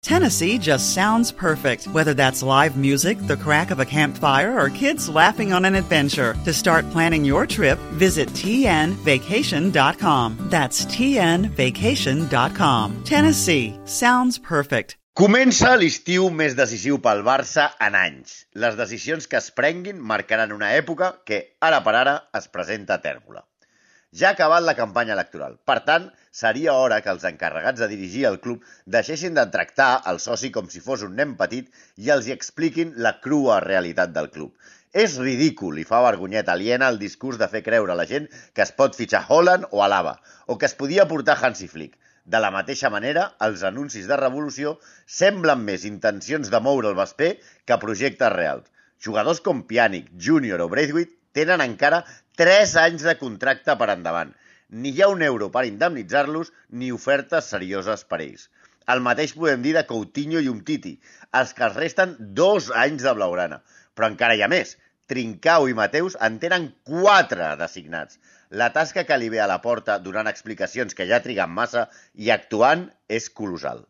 Tennessee just sounds perfect, whether that's live music, the crack of a campfire, or kids laughing on an adventure. To start planning your trip, visit tnvacation.com. That's tnvacation.com. Tennessee sounds perfect. Comença l'estiu més decisiu pel Barça en anys. Les decisions que es prenguin marcaran una època que, ara per ara, es presenta tèrbola. Ja ha acabat la campanya electoral. Per tant, seria hora que els encarregats de dirigir el club deixessin de tractar el soci com si fos un nen petit i els hi expliquin la crua realitat del club. És ridícul i fa vergonyeta aliena el discurs de fer creure a la gent que es pot fitxar Haaland o Alaba, o que es podia portar Hansi Flick. De la mateixa manera, els anuncis de revolució semblen més intencions de moure el vesper que projectes reals. Jugadors com Pjanic, Júnior o Braithwaite tenen encara 3 anys de contracte per endavant. Ni hi ha un euro per indemnitzar-los ni ofertes serioses per ells. El mateix podem dir de Coutinho i Umtiti, els que es resten 2 anys de blaugrana. Però encara hi ha més. Trincao i Mateus en tenen 4 designats. La tasca que li ve a la porta donant explicacions que ja triguen massa i actuant és colossal.